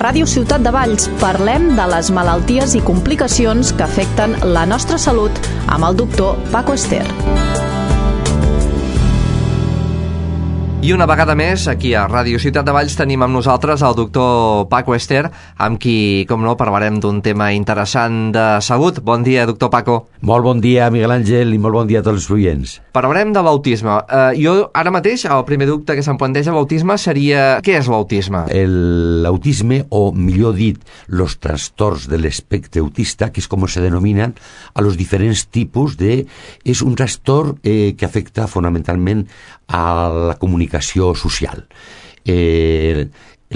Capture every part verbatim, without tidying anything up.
Ràdio Ciutat de Valls parlem de les malalties i complicacions que afecten la nostra salut amb el doctor Paco Ester. I una vegada més, aquí a Ràdio Ciutat de Valls tenim amb nosaltres el doctor Paco Ester, amb qui, com no, parlarem d'un tema interessant de salut. Bon dia, doctor Paco. Molt bon dia, Miguel Àngel, i molt bon dia a tots els oients. Parlarem de l'autisme. Uh, jo, ara mateix, el primer dubte que se'm planteja l'autisme seria... Què és l'autisme? L'autisme, o millor dit, los trastorns de l'espectre autista, que és com se denominen a los diferents tipus de... És un trastorn eh, que afecta fonamentalment a la comunicació social. Eh,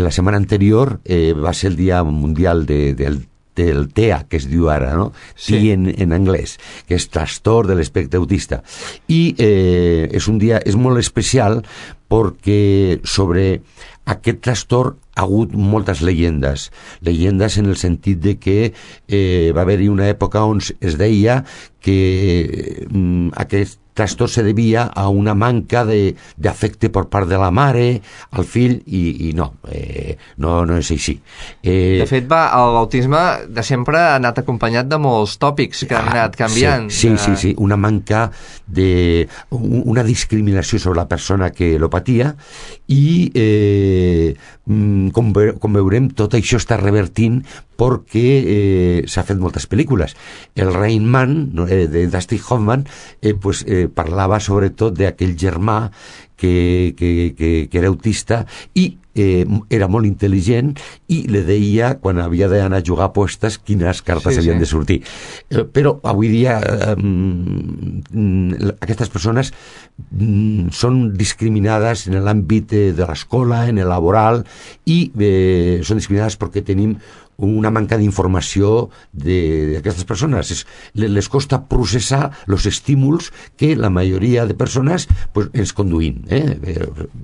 la setmana anterior eh, va ser el Dia Mundial de, del, del T E A, que es diu ara, no? Sí. T en, en anglès, que és trastorn de l'espectre autista. I eh, és un dia, és molt especial perquè sobre aquest trastorn ha hagut moltes llegendes. Llegendes en el sentit de que eh, va haver-hi una època on es deia que eh, aquest trastorn se devia a una manca de, d'afecte per part de la mare al fill, i, i no, eh, no, no és així. Eh, de fet, va, l'autisme de sempre ha anat acompanyat de molts tòpics que han anat canviant. Sí, sí, sí, sí, una manca de... una discriminació sobre la persona que lo patia, i eh, com, ve, com veurem, tot això està revertint perquè eh, s'ha fet moltes pel·lícules. El Rain Man, eh, de Dustin Hoffman, eh, pues, eh, parlava sobretot d'aquell germà que, que, que, que era autista i eh, era molt intel·ligent, i li deia, quan havia d'anar a jugar apostes, quines cartes sí, havien sí. de sortir. Eh, però avui dia eh, aquestes persones mm, són discriminades en l'àmbit de, de l'escola, en el laboral, i eh, són discriminades perquè tenim una manca d'informació d'aquestes persones. Es, les costa processar els estímuls que la majoria de persones pues, ens conduïn. Eh?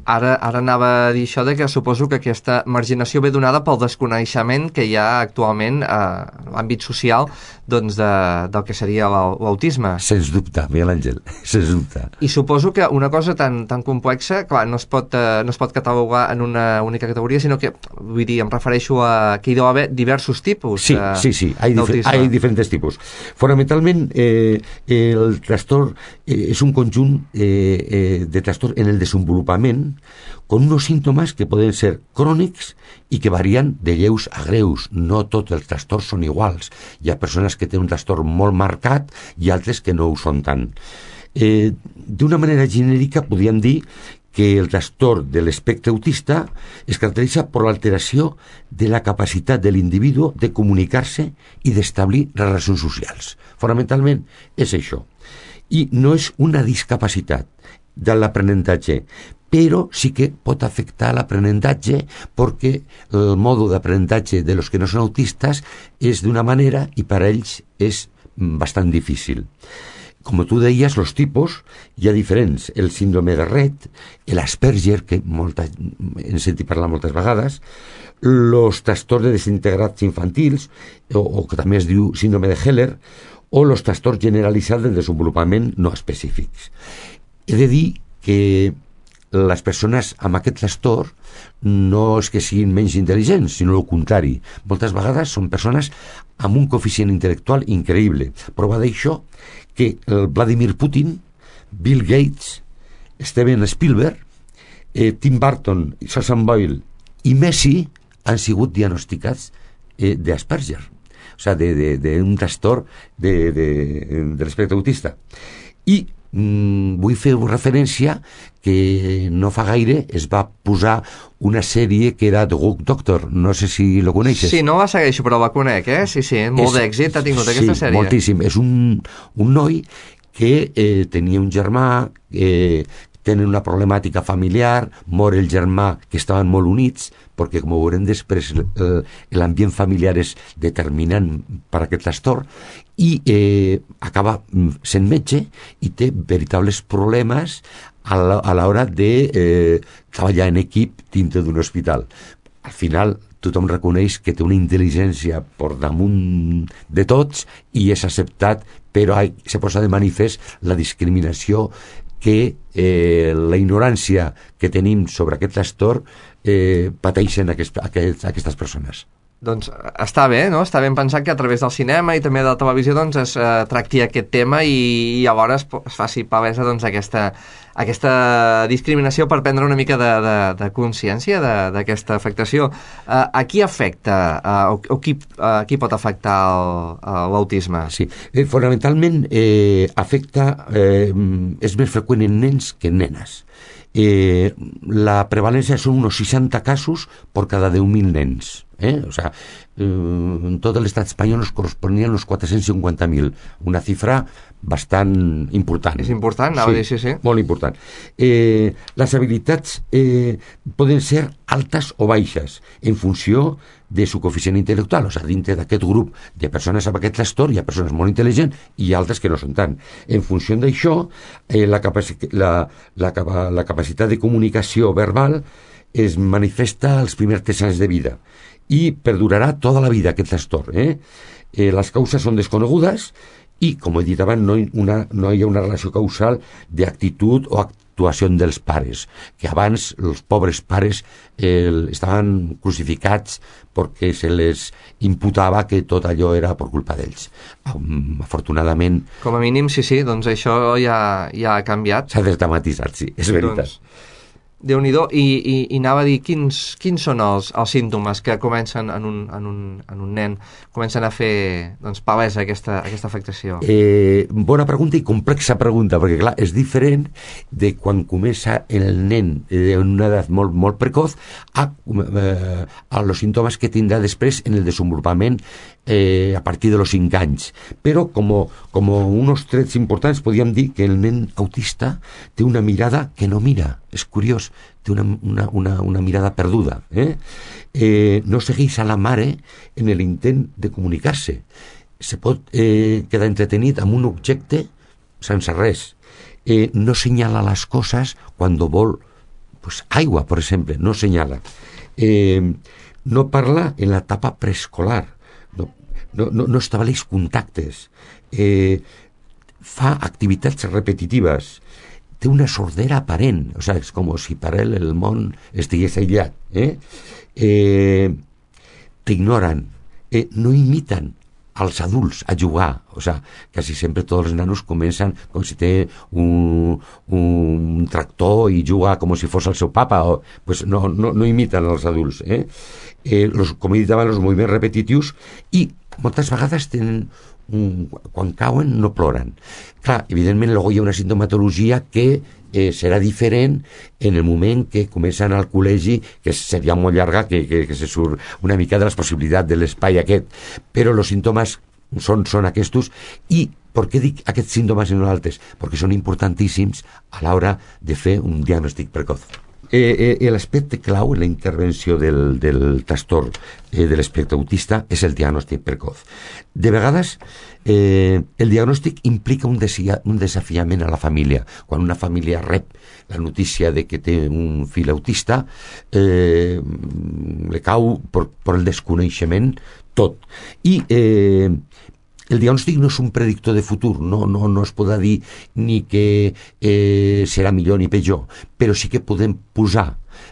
Ara, ara anava a dir això de que suposo que aquesta marginació ve donada pel desconeixement que hi ha actualment a l'àmbit social, doncs, de, del que seria l'autisme. Sens dubte, Miguel Àngel, sens dubte. I suposo que una cosa tan, tan complexa, clar, no es, pot, eh, no es pot catalogar en una única categoria, sinó que, vull dir, em refereixo a que hi deu haver diversos tipus. Sí, eh, sí, sí, hay, difer hay diferentes tipus. Fonamentalment, eh, el trastorn eh, és un conjunt eh, eh, de trastorn en el desenvolupament con unos síntomas que poden ser crònics i que varien de lleus a greus. No tots els trastorns són iguals. Hi ha persones que tenen un trastorn molt marcat i altres que no ho són tant. Eh, D'una manera genèrica podríem dir que el trastorn de l'espectre autista es caracteritza per l'alteració de la capacitat de l'individu de comunicar-se i d'establir relacions socials. Fonamentalment és això. I no és una discapacitat de l'aprenentatge, però sí que pot afectar l'aprenentatge perquè el mode d'aprenentatge de los que no són autistes és d'una manera i per a ells és bastant difícil. Com tu deies, els tipus hi ha diferents. El síndrome de Rett, l'Asperger, que molta, hem sentit parlar moltes vegades, els trastorns de desintegrats infantils, o, o que també es diu síndrome de Heller, o els trastorns generalitzats del desenvolupament no específics. He de dir que les persones amb aquest trastorn no és que siguin menys intel·ligents, sinó el contrari. Moltes vegades són persones amb un coeficient intel·lectual increïble. Prova d'això que el Vladimir Putin, Bill Gates, Steven Spielberg, eh, Tim Burton, Susan Boyle i Messi han sigut diagnosticats eh, d'Asperger, o sigui, d'un trastorn de, de, de l'espectre autista. I mm, vull fer referència que no fa gaire es va posar una sèrie que era The Good Doctor, no sé si lo coneixes. Sí, no la segueixo, però la conec, eh? Sí, sí, molt és, d'èxit ha tingut sí, aquesta sèrie. Sí, moltíssim. És un, un noi que eh, tenia un germà, eh, tenen una problemàtica familiar, mor el germà, que estaven molt units, perquè, com ho veurem després, l'ambient familiar és determinant per aquest trastorn, i eh, acaba sent metge i té veritables problemes a l'hora de eh, treballar en equip dintre d'un hospital. Al final, tothom reconeix que té una intel·ligència per damunt de tots i és acceptat, però se posa de manifest la discriminació que eh, la ignorància que tenim sobre aquest trastorn eh, pateixen aquest, aquest, aquestes persones. Doncs està bé, no? Està ben pensat que a través del cinema i també de la televisió doncs, es eh, tracti aquest tema i, i llavors es, es faci palesa doncs, aquesta, aquesta discriminació per prendre una mica de, de, de consciència d'aquesta afectació. Eh, a qui afecta eh, o, o qui, eh, qui pot afectar l'autisme? Sí, eh, fonamentalment eh, afecta, eh, és més freqüent en nens que en nenes. Eh, la prevalència són uns seixanta casos per cada deu mil nens. ¿Eh? O sea, eh, en tot l'estat espanyol nos corresponien uns quatre-cents cinquanta mil, una xifra bastant important. És important, anava sí, a dir, sí, sí. Molt important. Eh, les habilitats eh, poden ser altes o baixes en funció de su coeficient intel·lectual, o sigui, dintre d'aquest grup de persones amb aquest trastorn hi ha persones molt intel·ligents i altres que no són tant. En funció d'això, eh, la, capaci la, la, la capacitat de comunicació verbal es manifesta als primers tres anys de vida i perdurarà tota la vida aquest trastorn. Eh? Eh, les causes són desconegudes i, com he dit abans, no, una, no hi ha una relació causal d'actitud o actuació dels pares, que abans els pobres pares eh, estaven crucificats perquè se les imputava que tot allò era per culpa d'ells. Um, afortunadament... Com a mínim, sí, sí, doncs això ja, ja ha canviat. S'ha desdramatitzat, sí, és veritat. Doncs... Déu-n'hi-do, i, i, i anava a dir quins, quins són els, els símptomes que comencen en un, en un, en un nen, comencen a fer doncs, palesa aquesta, aquesta afectació? Eh, bona pregunta i complexa pregunta, perquè clar, és diferent de quan comença el nen d'una edat molt, molt precoz a, eh, a los símptomes que tindrà després en el desenvolupament eh, a partir de los cinc anys. Però com, com unos trets importants podríem dir que el nen autista té una mirada que no mira. És curiós, té una, una, una, una mirada perduda. Eh? Eh, no segueix a la mare en l'intent de comunicar-se. Se pot eh, quedar entretenit amb un objecte sense res. Eh, no senyala les coses quan vol pues, aigua, per exemple, no senyala. Eh, no parla en l'etapa preescolar. No, no, no, no estableix contactes. Eh, fa activitats repetitives. Té una sordera aparent, o sigui, és com si per ell el món estigués aïllat. Eh? Eh, T'ignoren, eh, no imiten als adults a jugar, o sigui, quasi sempre tots els nanos comencen com si té un, un tractor i juga com si fos el seu papa, o, pues no, no, no imiten als adults. Eh? Eh, los, com he dit abans, els moviments repetitius, i moltes vegades tenen un, quan cauen no ploren. Clar, evidentment luego hi ha una sintomatologia que eh, serà diferent en el moment que comencen al col·legi, que seria molt llarga, que, que, que se surt una mica de les possibilitats de l'espai aquest, però els símptomes són, són aquests. I per què dic aquests símptomes i no altres? Perquè són importantíssims a l'hora de fer un diagnòstic precoç. Eh, eh, l'aspecte clau en la intervenció del, del trastorn eh, de l'espectre autista és el diagnòstic precoç. De vegades eh, el diagnòstic implica un, desia, un desafiament a la família. Quan una família rep la notícia de que té un fill autista, eh, le cau per, per el desconeixement tot. I eh, el diagnòstic no és un predictor de futur, no, no, no es podrà dir ni que eh, serà millor ni pitjor, però sí que podem posar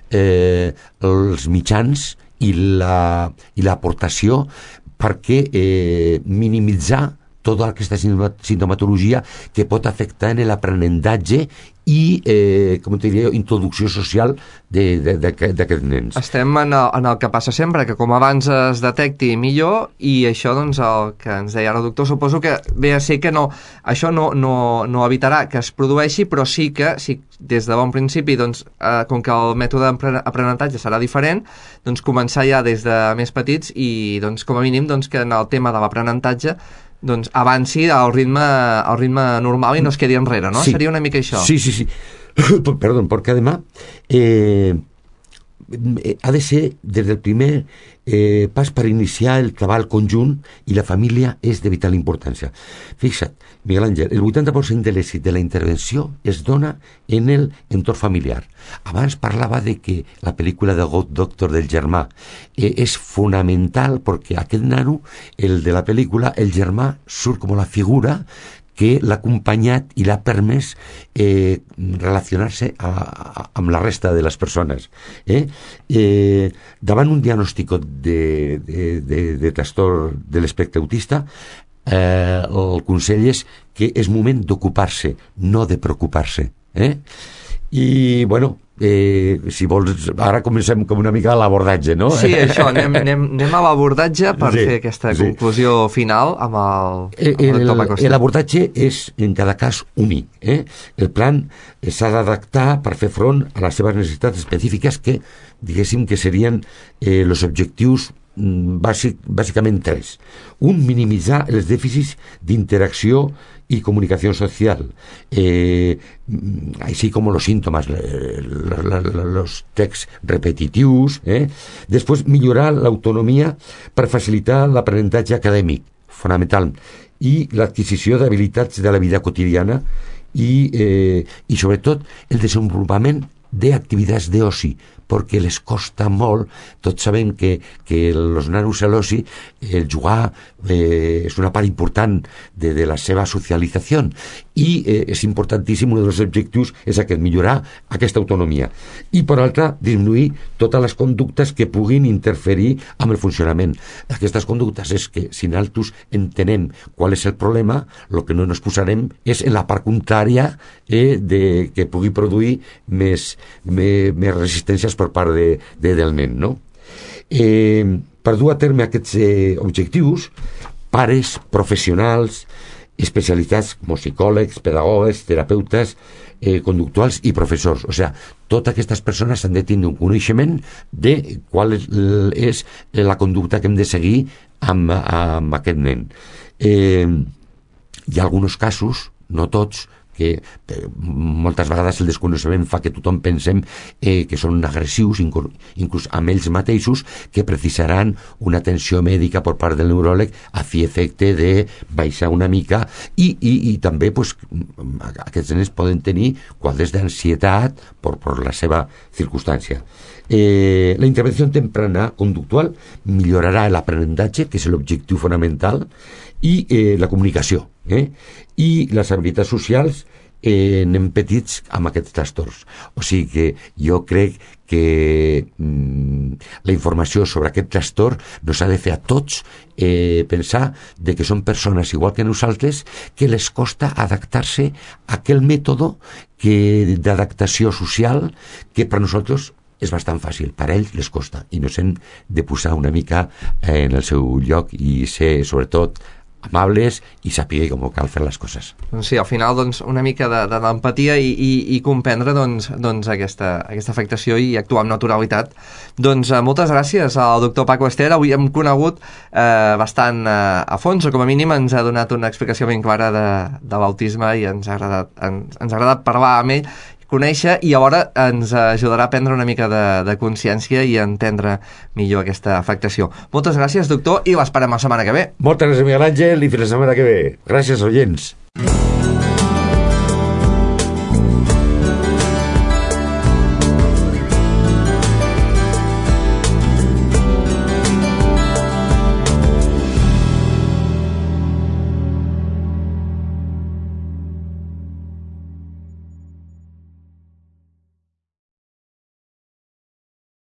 eh, els mitjans i la, i l'aportació perquè eh, minimitzar tota aquesta sintomatologia que pot afectar en l'aprenentatge i, eh, com te diria, introducció social d'aquests nens. Estem en el, en el que passa sempre, que com abans es detecti millor, i això, doncs, el que ens deia ara el doctor, suposo que ve a ser que no, això no, no, no evitarà que es produeixi, però sí que, si des de bon principi, doncs, eh, com que el mètode d'aprenentatge serà diferent, doncs començar ja des de més petits i, doncs, com a mínim, doncs, que en el tema de l'aprenentatge doncs avanci al ritme, al ritme normal i no es quedi enrere, no? Sí. Seria una mica això. Sí, sí, sí. Perdón, porque además eh, ha de ser des del primer eh, pas per iniciar el treball conjunt, i la família és de vital importància. Fixa't, Miguel Àngel, el vuitanta per cent de l'èxit de la intervenció es dona en el entorn familiar. Abans parlava de que la pel·lícula de God Doctor del germà eh, és fonamental perquè aquest nano, el de la pel·lícula, el germà surt com la figura que l'ha acompanyat i l'ha permès eh, relacionar-se a, a, amb la resta de les persones. Eh? Eh, davant un diagnòstic de, de, de, de trastorn de l'espectre autista, eh, el consell és que és moment d'ocupar-se, no de preocupar-se. Eh? I, bueno, eh, si vols, ara comencem com una mica a l'abordatge, no? Sí, això, anem, anem, anem a l'abordatge per sí, fer aquesta sí. conclusió final amb el, el, amb el doctor Paco Ester. L'abordatge és, en cada cas, únic. Eh? El plan s'ha d'adaptar per fer front a les seves necessitats específiques que, diguéssim, que serien eh, els objectius bàsic, bàsicament tres. Un, minimitzar els dèficits d'interacció y comunicación social, eh, así como los síntomas, la, la, la, los texts repetitius. Eh? Després, millorar l'autonomia per facilitar l'aprenentatge acadèmic, fonamental, i l'adquisició d'habilitats de la vida quotidiana i, eh, i sobretot, el desenvolupament d'activitats d'oci, perquè les costa molt. Tots sabem que, que els nanos a l'oci, el jugar eh, és una part important de, de la seva socialització i eh, és importantíssim, un dels objectius és aquest, millorar aquesta autonomia i per altra, disminuir totes les conductes que puguin interferir amb el funcionament. Aquestes conductes és que si nosaltres entenem qual és el problema, el que no ens posarem és en la part contrària eh, de, que pugui produir més, més, més resistències per part de, de, del nen, no? Eh, per dur a terme aquests eh, objectius, pares, professionals, especialitats com psicòlegs, pedagogues, terapeutes, eh, conductuals i professors. O sigui, totes aquestes persones han de tenir un coneixement de qual és, és la conducta que hem de seguir amb, amb aquest nen. Eh, hi ha alguns casos, no tots, que eh, moltes vegades el desconeixement fa que tothom pensem eh, que són agressius, inclús, inclús amb ells mateixos, que precisaran una atenció mèdica per part del neuròleg a fi efecte de baixar una mica i, i, i també pues, aquests nens poden tenir quadres d'ansietat per, per la seva circumstància. Eh, la intervenció temprana conductual millorarà l'aprenentatge, que és l'objectiu fonamental, i eh, la comunicació eh? i les habilitats socials eh, nen petits amb aquests trastorns. O sigui que jo crec que mm, la informació sobre aquest trastorn nos ha de fer a tots eh, pensar de que són persones igual que nosaltres, que les costa adaptar-se a aquell mètode que, d'adaptació social que per nosaltres és bastant fàcil, per ells les costa i nos hem de posar una mica eh, en el seu lloc i ser sobretot amables i saber com cal fer les coses. Sí, al final doncs, una mica d'empatia i, i, i comprendre doncs, doncs, aquesta, aquesta afectació i actuar amb naturalitat. Doncs eh, moltes gràcies al doctor Paco Ester. Avui hem conegut eh, bastant eh, a fons, o com a mínim ens ha donat una explicació ben clara de, de l'autisme i ens ha agradat, ens, ens ha agradat parlar amb ell, conèixer, i alhora ens ajudarà a prendre una mica de, de consciència i a entendre millor aquesta afectació. Moltes gràcies, doctor, i l'esperem la setmana que ve. Moltes gràcies, Miguel Àngel, i fins la setmana que ve. Gràcies, oients.